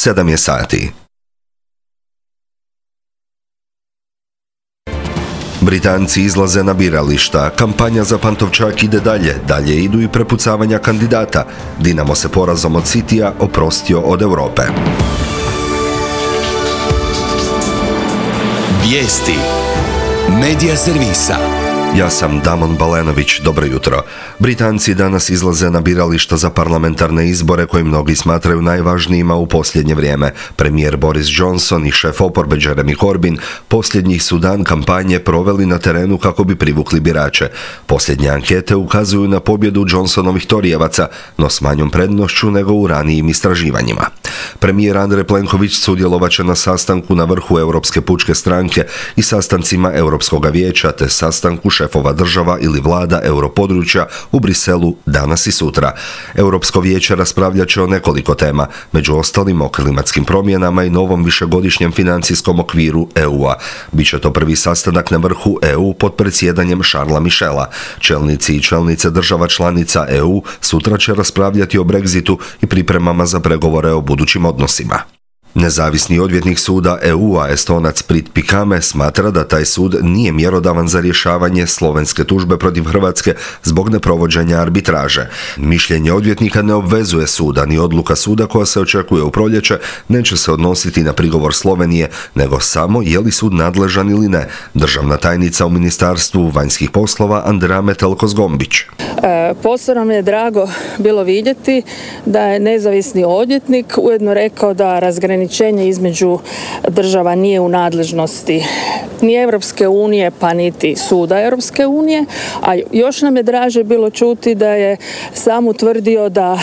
7 je sati. Britanci izlaze na birališta, kampanja za Pantovčak ide dalje idu i prepucavanja kandidata. Dinamo se porazom od Citya oprostio od Europe. Vijesti Medija servisa. Ja sam Damon Balenović, dobro jutro. Britanci danas izlaze na birališta za parlamentarne izbore koji mnogi smatraju najvažnijima u posljednje vrijeme. Premijer Boris Johnson i šef oporbe Jeremy Corbyn posljednjih su dan kampanje proveli na terenu kako bi privukli birače. Posljednje ankete ukazuju na pobjedu Johnsonovih torijevaca, no s manjom prednošću nego u ranijim istraživanjima. Premijer Andrej Plenković sudjelovat će na sastanku na vrhu Europske pučke stranke i sastancima Europskog vijeća te sastanku šefova država ili vlada europodručja u Briselu danas i sutra. Europsko vijeće raspravljat će o nekoliko tema, među ostalim o klimatskim promjenama i novom višegodišnjem financijskom okviru EU-a. Biće to prvi sastanak na vrhu EU pod predsjedanjem Charlesa Michela. Čelnici i čelnice država članica EU sutra će raspravljati o Brexitu i pripremama za pregovore o budućim odnosima. Nezavisni odvjetnik suda EU-a Estonac Prit Pikame smatra da taj sud nije mjerodavan za rješavanje slovenske tužbe protiv Hrvatske zbog neprovođenja arbitraže. Mišljenje odvjetnika ne obvezuje suda, ni odluka suda koja se očekuje u proljeće neće se odnositi na prigovor Slovenije, nego samo je li sud nadležan ili ne. Državna tajnica u Ministarstvu vanjskih poslova Andrea Metelko-Zgombić. Posebno mi je drago bilo vidjeti da je nezavisni odvjetnik ujedno rekao da razgraničenje između država nije u nadležnosti ni Europske unije pa niti suda Europske unije, a još nam je draže bilo čuti da je sam utvrdio da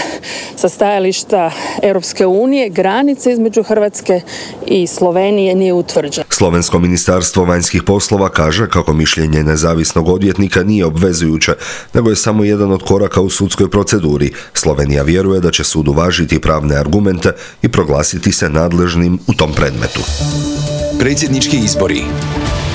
sa stajališta Europske unije granica između Hrvatske i Slovenije nije utvrđena. Slovensko ministarstvo vanjskih poslova kaže kako mišljenje nezavisnog odvjetnika nije obvezujuće, nego je samo jedan od koraka u sudskoj proceduri. Slovenija vjeruje da će sud uvažiti pravne argumente i proglasiti se nadležnim u tom predmetu. Predsjednički izbori.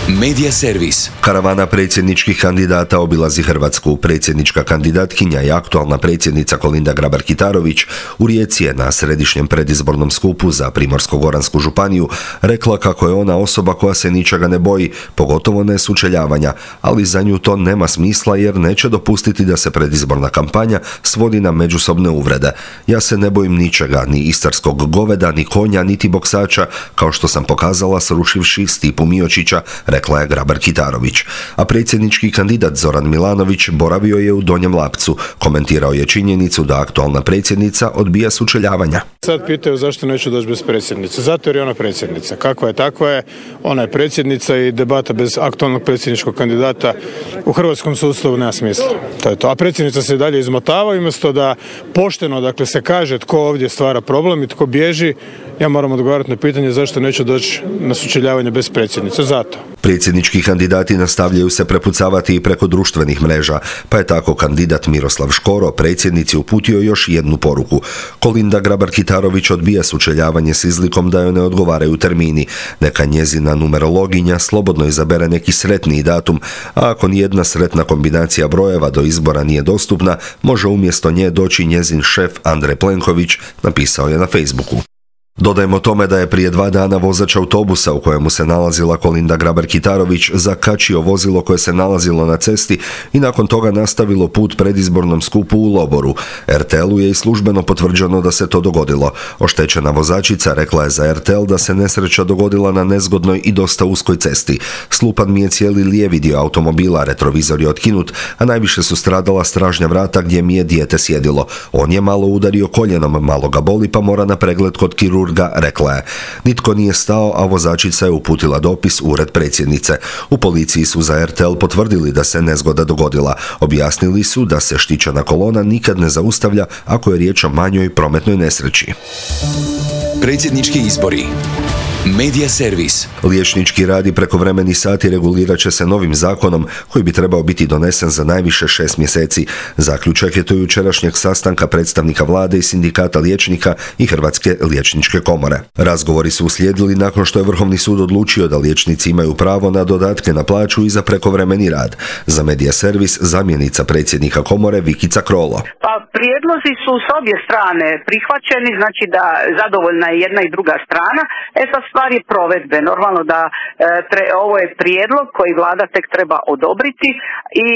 Medija servis. Karavana predsjedničkih kandidata obilazi Hrvatsku. Predsjednička kandidatkinja i aktualna predsjednica Kolinda Grabar-Kitarović u Rijeci je na središnjem predizbornom skupu za Primorsko-goransku županiju rekla kako je ona osoba koja se ničega ne boji, pogotovo ne sučeljavanja, ali za nju to nema smisla jer neće dopustiti da se predizborna kampanja svodi na međusobne uvrede. Ja se ne bojim ničega, ni istarskog goveda, ni konja, niti boksača, kao što sam pokazala srušivši Stipu Miočića, rekla je Grabar-Kitarović. A predsjednički kandidat Zoran Milanović boravio je u Donjem Lapcu. Komentirao je činjenicu da aktualna predsjednica odbija sučeljavanja. Sad pitaju zašto neću doći bez predsjednice. Zato jer je ona predsjednica. Kakva je, takva je. Ona je predsjednica i debata bez aktualnog predsjedničkog kandidata u hrvatskom sustavu nema smisla. To je to. A predsjednica se dalje izmotava i umjesto da pošteno se kaže tko ovdje stvara problem i tko bježi, ja moram odgovarati na pitanje zašto neću doći na sučeljavanje bez predsjednice. Zato. Predsjednički kandidati nastavljaju se prepucavati i preko društvenih mreža, pa je tako kandidat Miroslav Škoro predsjednici uputio još jednu poruku. Kolinda Grabar-Kitarović odbija sučeljavanje s izlikom da joj ne odgovaraju termini. Neka njezina numerologinja slobodno izabere neki sretniji datum, a ako nijedna sretna kombinacija brojeva do izbora nije dostupna, može umjesto nje doći njezin šef Andrej Plenković, napisao je na Facebooku. Dodajmo tome da je prije 2 dana vozač autobusa u kojemu se nalazila Kolinda Grabar-Kitarović zakačio vozilo koje se nalazilo na cesti i nakon toga nastavilo put predizbornom skupu u Loboru. RTL-u je i službeno potvrđeno da se to dogodilo. Oštećena vozačica rekla je za RTL da se nesreća dogodila na nezgodnoj i dosta uskoj cesti. Slupan mi je cijeli lijevi dio automobila, retrovizor je otkinut, a najviše su stradala stražnja vrata gdje mi je dijete sjedilo. On je malo udario koljenom, malo ga boli pa mora na pregled kod kirurga, rekla je. Nitko nije stao, a vozačica je uputila dopis u ured predsjednice. U policiji su za RTL potvrdili da se nezgoda dogodila. Objasnili su da se štićena kolona nikad ne zaustavlja ako je riječ o manjoj prometnoj nesreći. Predsjednički izbori. Medija servis. Liječnički rad i prekovremeni sati regulirat će se novim zakonom koji bi trebao biti donesen za najviše 6 mjeseci. Zaključak je to jučerašnjeg sastanka predstavnika vlade i sindikata liječnika i Hrvatske liječničke komore. Razgovori su uslijedili nakon što je Vrhovni sud odlučio da liječnici imaju pravo na dodatke na plaću i za prekovremeni rad. Za Medija servis zamjenica predsjednika komore Vikica Krolo. Pa prijedlozi su s obje strane prihvaćeni, znači da zadovoljna je jedna i druga strana. Sad stvar je provedbe. Normalno da ovo je prijedlog koji vlada tek treba odobriti i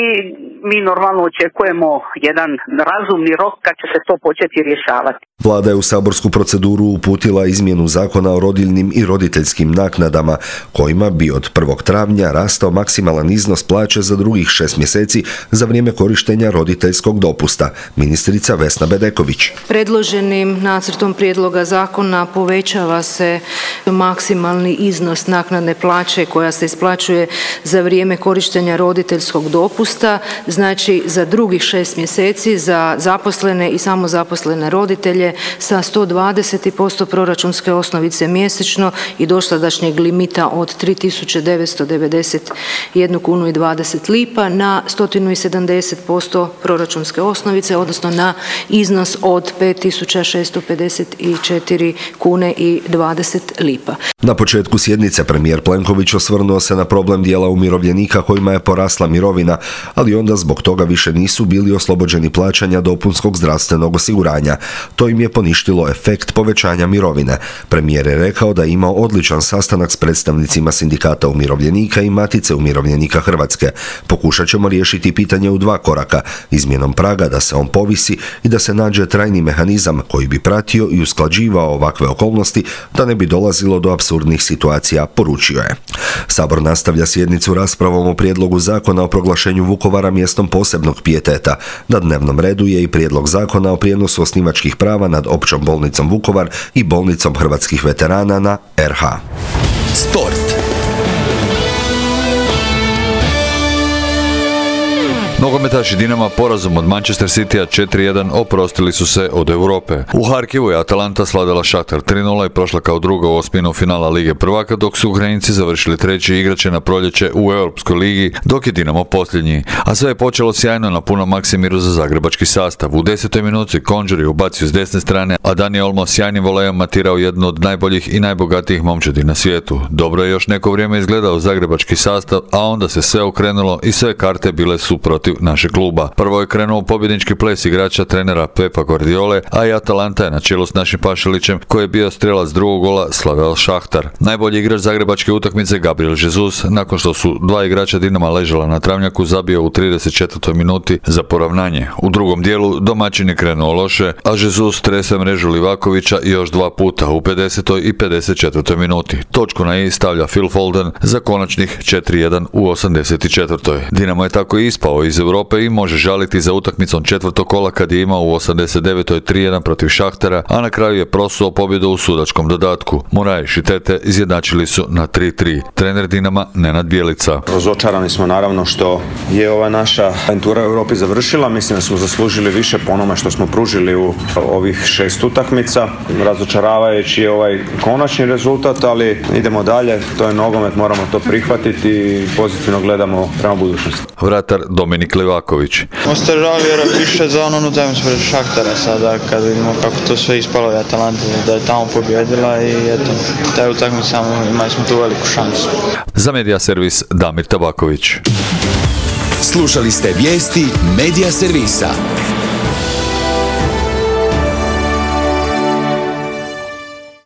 mi normalno očekujemo jedan razumni rok kad će se to početi rješavati. Vlada je u saborsku proceduru uputila izmjenu zakona o rodiljnim i roditeljskim naknadama, kojima bi od 1. travnja rastao maksimalan iznos plaće za drugih 6 mjeseci za vrijeme korištenja roditeljskog dopusta. Ministrica Vesna Bedeković. Predloženim nacrtom prijedloga zakona povećava se maksimalni iznos naknadne plaće koja se isplaćuje za vrijeme korištenja roditeljskog dopusta, znači za drugih 6 mjeseci za zaposlene i samozaposlene roditelje sa 120% proračunske osnovice mjesečno i dosadašnjeg limita od 3.991 kunu i 20 lipa na 170% proračunske osnovice, odnosno na iznos od 5.654 kune i 20 lipa. Na početku sjednice premijer Plenković osvrnuo se na problem dijela umirovljenika kojima je porasla mirovina, ali onda zbog toga više nisu bili oslobođeni plaćanja dopunskog zdravstvenog osiguranja. To im je poništilo efekt povećanja mirovine. Premijer je rekao da je imao odličan sastanak s predstavnicima sindikata umirovljenika i Matice umirovljenika Hrvatske. Pokušat ćemo riješiti pitanje u 2 koraka, izmjenom praga da se on povisi i da se nađe trajni mehanizam koji bi pratio i usklađivao ovakve okolnosti da ne bi dolazilo do apsurdnih situacija, poručio je. Sabor nastavlja sjednicu raspravom o prijedlogu zakona o proglašenju Vukovara mjestom posebnog pijeteta. Na dnevnom redu je i prijedlog zakona o prijenosu osnivačkih prava nad Općom bolnicom Vukovar i bolnicom hrvatskih veterana na RH. Sport. Nogometaši Dinama porazom od Manchester Citya 4-1 oprostili su se od Europe. U Harkivu je Atalanta slavila Šahtar 3-0 i prošla kao druga u osminu finala Lige prvaka, dok su Ukrajinci završili treći igrače na proljeće u Europskoj ligi, dok je Dinamo posljednji. A sve je počelo sjajno na punom Maksimiru za zagrebački sastav. U 10. minuti Konđur je ubacio s desne strane, a Dani Olmo sjajnim volejom matirao jednu od najboljih i najbogatijih momčadi na svijetu. Dobro je još neko vrijeme izgledao zagrebački sastav, a onda se sve okrenulo i sve karte bile su protiv našeg kluba. Prvo je krenuo pobjednički ples igrača trenera Pepa Guardiole, a i Atalanta je na čelu s našim Pašalićem, koji je bio strelac drugog gola, slavio Šahtar. Najbolji igrač zagrebačke utakmice Gabriel Jesus, nakon što su 2 igrača Dinama ležala na travnjaku, zabio u 34. minuti za poravnanje. U drugom dijelu domaćin je krenuo loše, a Jesus trese mrežu Livakovića još 2 puta u 50. i 54. minuti. Točku na i stavlja Phil Foden za konačnih 4-1 u 84. Dinamo je tako ispao iz Europe i može žaliti za utakmicom četvrtog kola kad je imao u 89. 3-1 protiv Šahtara, a na kraju je prosuo pobjedu u sudačkom dodatku. Moraes i Tete izjednačili su na 3-3. Trener Dinama Nenad Bjelica. Razočarani smo naravno što je ova naša aventura u Europi završila. Mislim da smo zaslužili više po onome što smo pružili u ovih 6 utakmica. Razočaravajući je ovaj konačni rezultat, ali idemo dalje. To je nogomet, moramo to prihvatiti i pozitivno gledamo prema budućnosti. Vratar Dominik Livaković. Ostaje žao vjerojatno više za onu utakmicu protiv Šahtara sada kad vidimo kako to sve ispalo i Atalanta da je tamo pobjedila i eto, taj utakmica imali smo tu veliku šansu. Za Medija servis Damir Tabaković. Slušali ste vijesti Medija servisa.